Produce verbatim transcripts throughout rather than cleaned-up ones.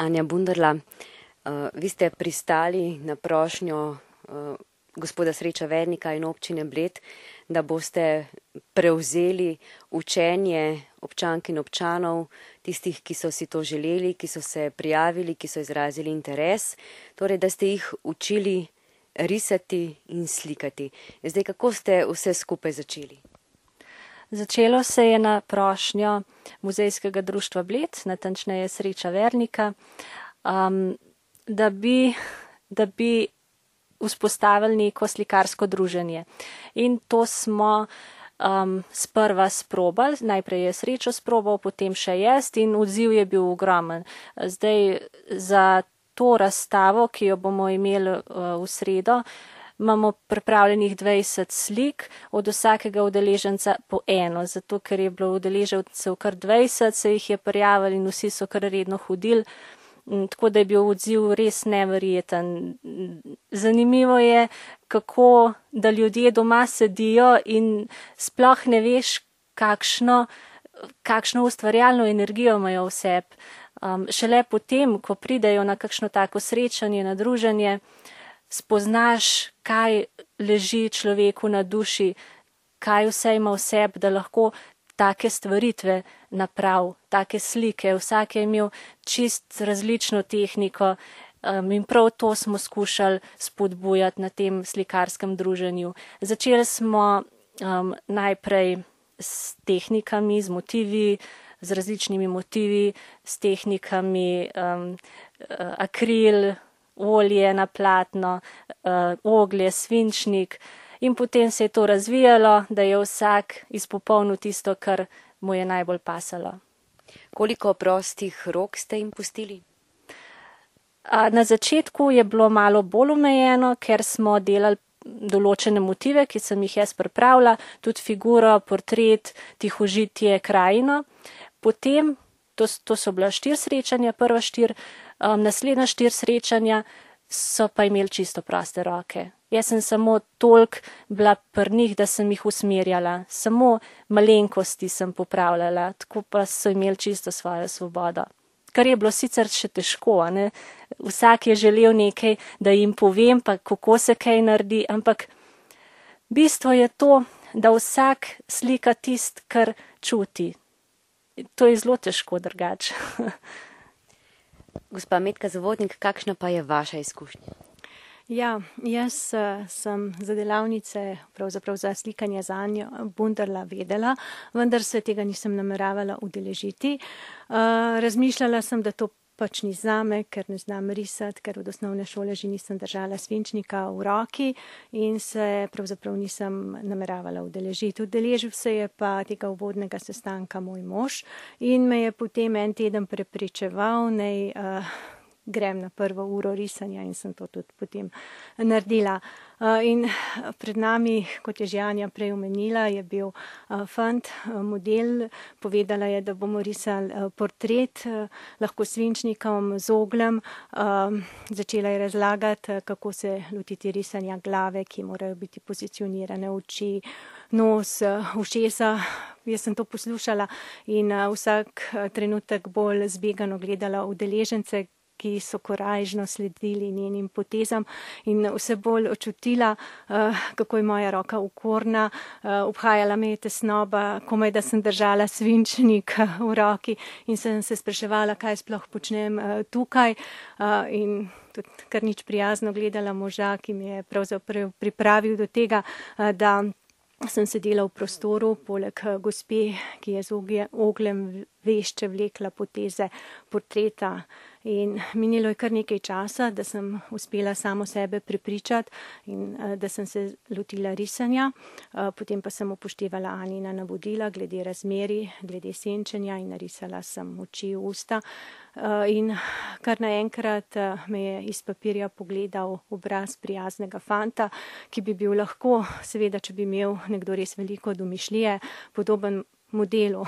Anja Bunderla, uh, vi ste pristali na prošnjo uh, gospoda Sreča Vernika in občine Bled, da boste prevzeli učenje občank in občanov, tistih, ki so si to želeli, ki so se prijavili, ki so izrazili interes, torej da ste jih učili risati in slikati. Zdaj, kako ste vse skupaj začeli? Začelo se je na prošnjo Muzejskega društva Bled, natančneje Sreča Vernika, um, da bi, da bi vzpostavili neko slikarsko druženje. In to smo um, sprva sprobali, najprej je Srečo sprobal, potem še jaz in odziv je bil ogromen. Zdaj za to razstavo, ki jo bomo imeli uh, v sredo, imamo pripravljenih dvajset slik, od vsakega udeleženca po eno, zato ker je bilo udeležencev kar dvajset, se jih je prijavili in vsi so kar redno hodili, tako da je bil odziv res neverjeten. Zanimivo je, kako da ljudje doma sedijo in sploh ne veš, kakšno, kakšno ustvarjalno energijo imajo v sebi. Um, šele potem, ko pridejo na kakšno tako srečanje, na druženje, spoznaš, kaj leži človeku na duši, kaj vse ima v sebi, da lahko take stvaritve naprav, take slike. Vsak je imel čist različno tehniko um, in prav to smo skušali spodbujati na tem slikarskem druženju. Začeli smo um, najprej s tehnikami, z motivi, z različnimi motivi, s tehnikami um, akril, olje na platno, uh, oglje, svinčnik in potem se je to razvijalo, da je vsak izpopolnil tisto, kar mu je najbolj pasalo. Koliko prostih rok ste jim pustili? A, na začetku je bilo malo bolj omejeno, ker smo delali določene motive, ki sem jih jaz pripravila, tudi figuro, portret, tihožitje, krajino. Potem, to, to so bila štiri srečanja, prva štiri, Um, naslednja štiri srečanja so pa imeli čisto proste roke. Jaz sem samo toliko bila pri njih, da sem jih usmerjala. Samo malenkosti sem popravljala, tako pa so imeli čisto svojo svobodo. Kar je bilo sicer še težko, ne? Vsak je želel nekaj, da jim povem, pa kako se kaj naredi, ampak bistvo je to, da vsak slika tist, kar čuti. To je zelo težko drugače. Gospa Metka Zavodnik, kakšna pa je vaša izkušnja? Ja, jaz uh, sem za delavnice, pravzaprav za slikanje za Anjo Bunderla vedela, vendar se tega nisem nameravala udeležiti. Uh, razmišljala sem, da to pač ni zame, ker ne znam risati, ker od osnovne šole že nisem držala svinčnika v roki in se pravzaprav nisem nameravala udeležiti. Udeležil se je pa tega uvodnega sestanka moj mož in me je potem en teden prepričeval, naj uh, grem na prvo uro risanja in sem to tudi potem naredila. Uh, in pred nami, kot je že Anja prej omenila, je bil uh, fant, uh, model, povedala je, da bomo risali uh, portret, uh, lahko svinčnikom, z ogljem. Uh, začela je razlagati, uh, kako se lotiti risanja glave, ki morajo biti pozicionirane, oči, nos, uh, ušesa. Jaz sem to poslušala in uh, vsak uh, trenutek bolj zbegano gledala udeležence, ki so korajžno sledili njenim potezam in vse bolj očutila, uh, kako je moja roka ukorna, uh, obhajala me je tesnoba, komaj da sem držala svinčnik uh, v roki in sem se spraševala, kaj sploh počnem uh, tukaj uh, in tudi kar nič prijazno gledala moža, ki mi je pravzaprav pripravil do tega, uh, da sem sedela v prostoru, poleg gospe, ki je z ogljem vešče vlekla poteze portreta. In minilo je kar nekaj časa, da sem uspela samo sebe prepričati in da sem se lotila risanja. Potem pa sem upoštevala Anjina navodila glede razmeri, glede senčenja in narisala sem oči, usta. In kar naenkrat me je iz papirja pogledal obraz prijaznega fanta, ki bi bil lahko, seveda, če bi imel nekdo res veliko domišljije, podoben modelu,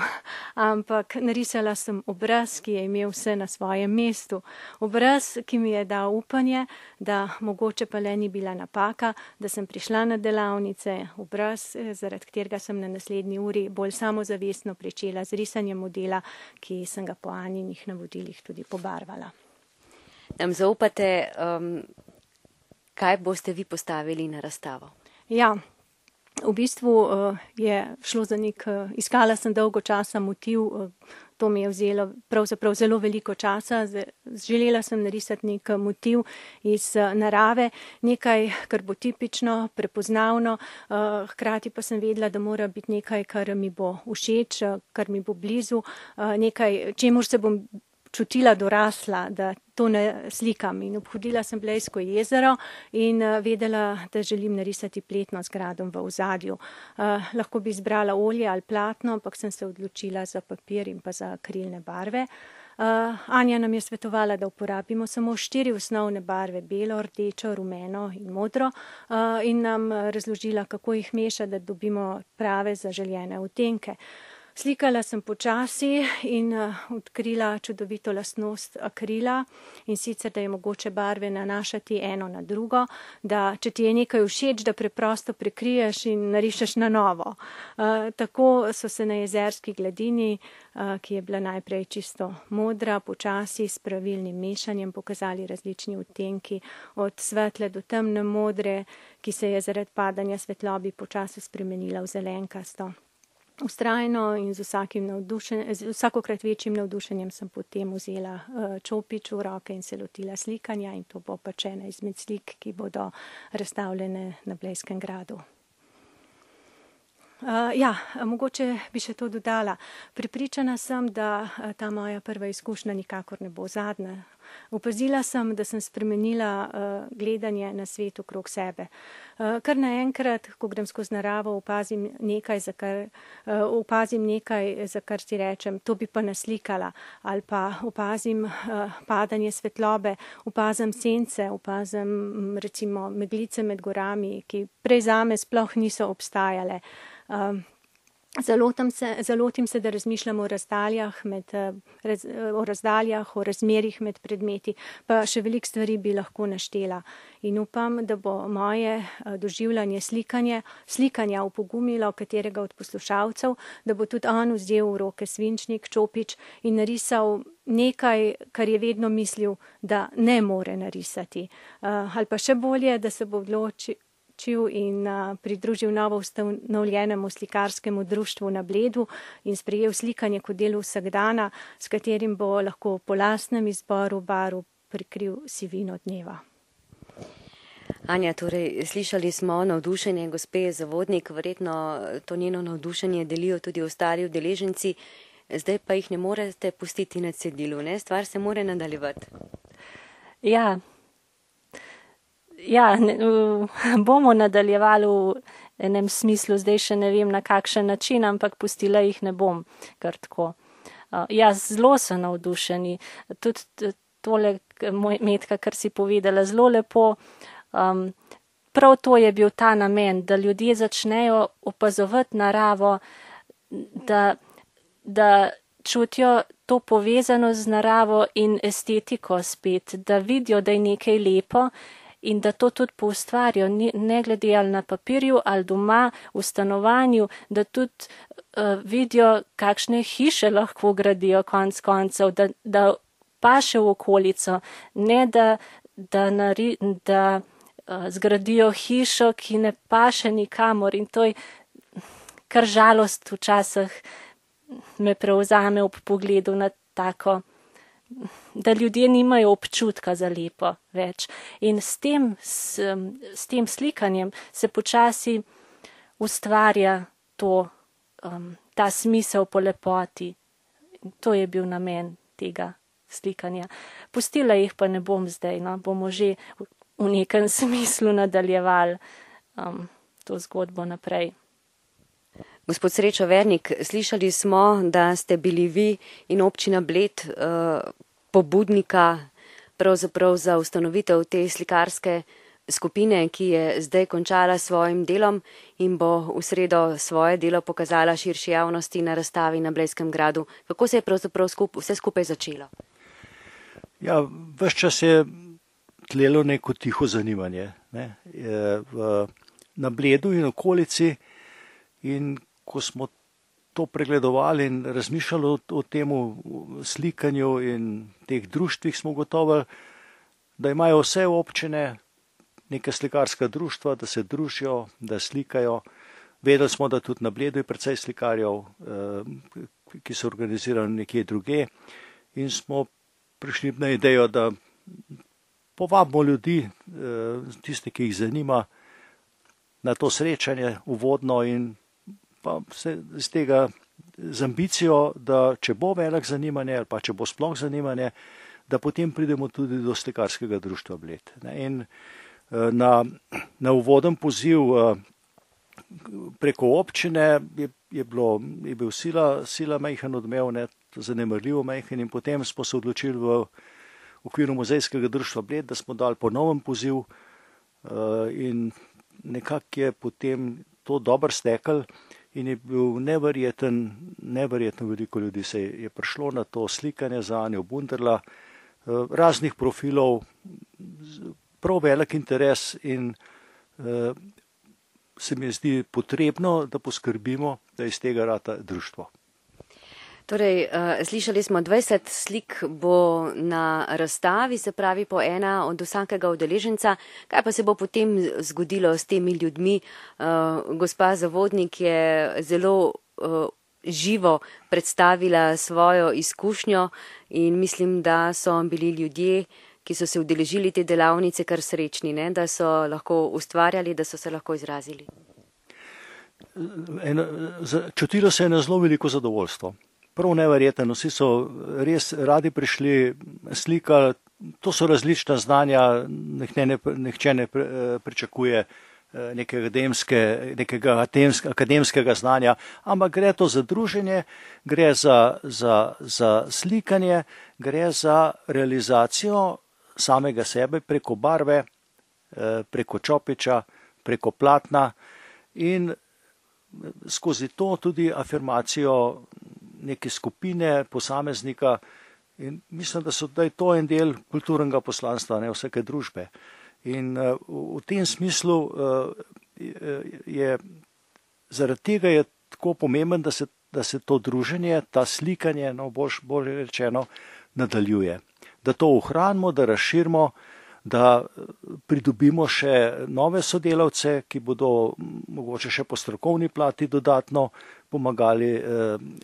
ampak narisala sem obraz, ki je imel vse na svojem mestu. Obraz, ki mi je dal upanje, da mogoče pa le ni bila napaka, da sem prišla na delavnice, obraz, zaradi katerega sem na naslednji uri bolj samozavestno pričela z risanjem modela, ki sem ga po Anjinih navodilih tudi pobarvala. nam zaupate, um, kaj boste vi postavili na razstavo? Ja, v bistvu uh, je šlo za nek, uh, iskala sem dolgo časa motiv, uh, to mi je vzelo pravzaprav zelo veliko časa. Želela sem narisati nek motiv iz uh, narave, nekaj, kar bo tipično, prepoznavno, uh, hkrati pa sem vedela, da mora biti nekaj, kar mi bo všeč, uh, kar mi bo blizu, uh, nekaj, čemur se bom čutila dorasla, da to ne slikam. In obhodila sem Blejsko jezero in uh, vedela, da želim narisati pletno z gradom v ozadju. Uh, lahko bi izbrala olje ali platno, ampak sem se odločila za papir in pa za akrilne barve. Uh, Anja nam je svetovala, da uporabimo samo štiri osnovne barve, belo, rdečo, rumeno in modro, uh, in nam razložila, kako jih meša, da dobimo prave zaželjene odtenke. Slikala sem počasi in uh, odkrila čudovito lastnost akrila, in sicer, da je mogoče barve nanašati eno na drugo, da če ti je nekaj všeč, da preprosto prekriješ in narišeš na novo. Uh, tako so se na jezerski gladini, uh, ki je bila najprej čisto modra, počasi s pravilnim mešanjem pokazali različni odtenki, od svetle do temne modre, ki se je zaradi padanja svetlobi počasi spremenila v zelenkasto. Vztrajno in z vsakim navdušenjem, z vsakokrat večjim navdušenjem sem potem vzela uh, čopič v roke in se lotila slikanja, in to bo pač ena izmed slik, ki bodo razstavljene na Blejskem gradu. Uh, ja, mogoče bi še to dodala. Prepričana sem, da uh, ta moja prva izkušnja nikakor ne bo zadnja. Opazila sem, da sem spremenila uh, gledanje na svet okrog sebe. Uh, kar naenkrat, ko grem skozi naravo, opazim nekaj, za kar, uh, opazim nekaj, za kar si rečem, to bi pa naslikala, ali pa opazim uh, padanje svetlobe, opazim sence, opazim recimo meglice med gorami, ki prej zame sploh niso obstajale. Uh, Zalotim se, zalotim se, da razmišljam o razdaljah, med, raz, o razdaljah, o razmerih med predmeti, pa še veliko stvari bi lahko naštela. In upam, da bo moje doživljanje slikanje, slikanja upogumilo katerega od poslušalcev, da bo tudi on vzel v roke svinčnik, čopič in narisal nekaj, kar je vedno mislil, da ne more narisati. Ali pa še bolje, da se bo odločil in uh, pridružil novo ustanovljenemu slikarskemu društvu na Bledu in sprejel slikanje kot del vsakdana, s katerim bo lahko po lastnem izboru barv prikril sivino dneva. Anja, torej, slišali smo navdušenje gospe Zavodnik, verjetno to njeno navdušenje delijo tudi ostali udeleženci, zdaj pa jih ne morete pustiti na cedilu, ne? Stvar se more nadaljevati. Ja. Ja, ne, uh, bomo nadaljevali v enem smislu, zdaj še ne vem na kakšen način, ampak pustila jih ne bom kar tako. Uh, ja, zelo so navdušeni. Tudi tole, moj Metka, kar si povedala, zelo lepo. Um, prav to je bil ta namen, da ljudje začnejo opazovati naravo, da, da čutijo to povezano z naravo in estetiko spet, da vidijo, da je nekaj lepo, in da to tudi poustvarijo, ne glede ali na papirju ali doma, v stanovanju, da tudi uh, vidijo, kakšne hiše lahko gradijo konc koncev, da, da paše v okolico, ne da, da, nari, da uh, zgradijo hišo, ki ne paše nikamor, in to je kar žalost včasih me prevzame ob pogledu na tako, da ljudje nimajo občutka za lepo več. In s tem, s, s tem slikanjem se počasi ustvarja to, um, ta smisel po lepoti. To je bil namen tega slikanja. Pustila jih pa ne bom zdaj, no, bomo že v nekem smislu nadaljevali um, to zgodbo naprej. Gospod Srečo Vernik, slišali smo, da ste bili vi in občina Bled uh, pobudnika pravzaprav za ustanovitev te slikarske skupine, ki je zdaj končala s svojim delom in bo v sredo svoje delo pokazala širši javnosti na razstavi na Blejskem gradu. Kako se je pravzaprav skup, vse skupaj začelo? Ja, ves čas je tlelo neko tiho zanimanje, ne, v, na Bledu in okolici, in ko smo to pregledovali in razmišljali o, o tem slikanju in teh društvih, smo gotovo, da imajo vse občine neka slikarska društva, da se družijo, da slikajo. Vedeli smo, da tudi na Bledu je precej slikarjev, ki so organizirani nekje druge, in smo prišli na idejo, da povabimo ljudi, tiste, ki jih zanima, na to srečanje uvodno in pa se z tega z ambicijo, da če bo velik zanimanje ali pa če bo sploh zanimanje, da potem pridemo tudi do slikarskega društva Bled. In na, na uvoden poziv preko občine je, je, bilo, je bil sila, sila majhen odmev, ne, zanemarljivo majhen, in potem smo se odločili v okviru muzejskega društva Bled, da smo dali ponoven poziv in nekako je potem to dobro steklo in je bil neverjeten, neverjetno veliko ljudi se je prišlo na to slikanje za Anjo Bunderla, raznih profilov, prav velik interes in se mi zdi potrebno, da poskrbimo, da iz tega rata društvo. Torej, slišali smo, dvajset slik bo na razstavi, se pravi po ena od vsakega udeleženca. Kaj pa se bo potem zgodilo s temi ljudmi? Gospa Zavodnik je zelo živo predstavila svojo izkušnjo in mislim, da so bili ljudje, ki so se udeležili te delavnice, kar srečni, ne? Da so lahko ustvarjali, da so se lahko izrazili. En, čutilo se je na zelo veliko zadovoljstvo. Prav neverjetno, vsi so res radi prišli, slikali, to so različna znanja, nihče ne, nihče ne pričakuje nekega, akademske, nekega akademskega znanja, ampak gre to za druženje, gre za, za, za slikanje, gre za realizacijo samega sebe preko barve, preko čopiča, preko platna in skozi to tudi afirmacijo neke skupine, posameznika, in mislim, da, so, da je to en del kulturnega poslanstva, ne, vsake družbe. In uh, v tem smislu uh, je, zaradi tega je tako pomemben, da se, da se to druženje, ta slikanje, no, bolj, bolj rečeno, nadaljuje. Da to ohranimo, da razširimo, da pridobimo še nove sodelavce, ki bodo mogoče še po strokovni plati dodatno pomagali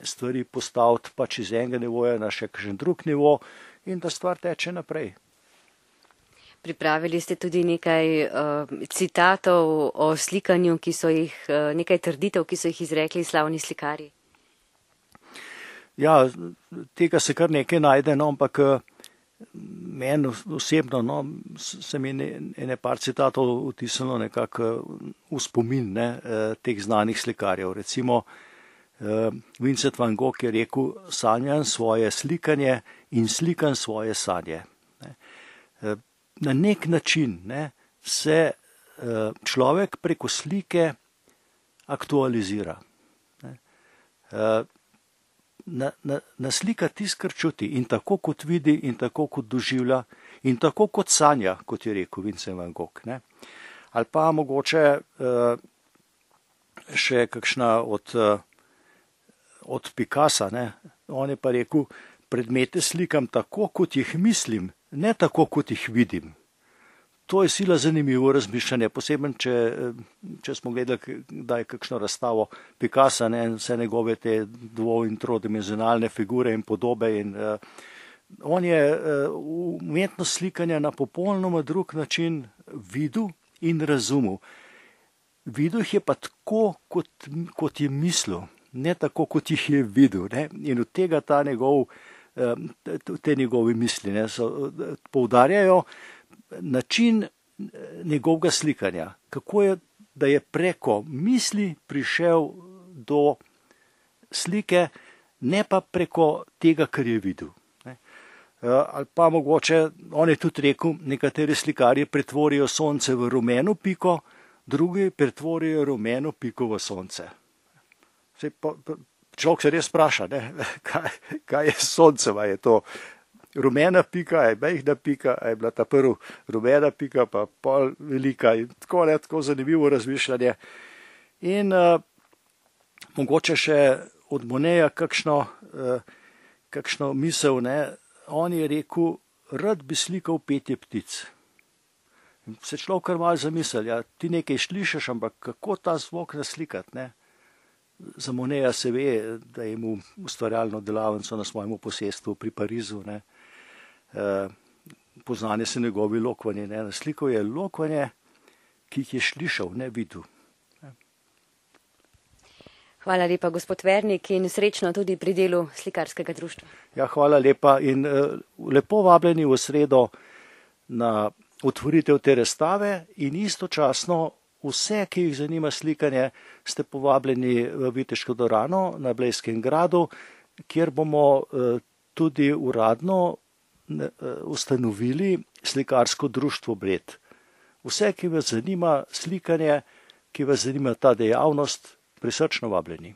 stvari postaviti pač iz enega nivoja na še kakšen drug nivo in da stvar teče naprej. Pripravili ste tudi nekaj uh, citatov o slikanju, ki so jih, uh, nekaj trditev, ki so jih izrekli slavni slikarji. Ja, tega se kar nekaj najde, no, ampak meni osebno, no, se mi ene par citatov vtisnilo nekako v spomin, ne, teh znanih slikarjev. Recimo Vincent van Gogh je rekel: sanjam svoje slikanje in slikam svoje sanje. Na nek način, ne, se človek preko slike aktualizira. Na, na, na slika tisto, kar čuti, in tako kot vidi, in tako kot doživlja, in tako kot sanja, kot je rekel Vincent van Gogh. Ne. Ali pa mogoče uh, še kakšna od, uh, od Picassa, ne. On je pa rekel: predmete slikam tako, kot jih mislim, ne tako, kot jih vidim. To je sila zanimivo razmišljanje, posebno, če, če smo gledali, da je kakšno razstavo Picassa, ne, vse njegove te dvo- in trodimenzionalne figure in podobe. In, uh, on je uh, umetnost slikanja na popolnoma drug način videl in razumel. Videl jih je pa tako, kot, kot je mislil, ne tako, kot jih je videl. Ne. In od tega ta njegov, uh, te njegove misli, ne, so, uh, poudarjajo način njegovega slikanja, kako je, da je preko misli prišel do slike, ne pa preko tega, kar je videl. Ne. Ali pa mogoče, on je tudi rekel, nekateri slikarji pretvorijo sonce v rumeno piko, drugi pretvorijo rumeno piko v sonce. Pa, človek se res spraša, ne, kaj, kaj je sonce, je to rumena pika, je majhna pika, je bila ta prva rumena pika, pa pol velika in tako, ne, tako zanimivo razmišljanje. In uh, mogoče še od Moneja kakšno, uh, kakšno misel, ne, on je rekel, rad bi slikal petje ptic. In se človek kar malo zamisli, ja, ti nekaj slišiš, ampak kako ta zvok naslikati, ne? Za Moneja se ve, da je imel ustvarjalno delavnico na svojemu posestvu pri Parizu, ne? E, poznane se njegovi lokvanji, ne? Naslikal je lokvanje, ki jih je slišal, ne videl. Hvala lepa, gospod Vernik, in srečno tudi pri delu slikarskega društva. Ja, hvala lepa in uh, lepo vabljeni v sredo na otvoritev te razstave in istočasno vse, ki jih zanima slikanje, ste povabljeni v Viteško dvorano na Blejskem gradu, kjer bomo uh, tudi uradno uh, ustanovili slikarsko društvo Bled. Vse, ki vas zanima slikanje, ki vas zanima ta dejavnost, prisrčno vabljeni.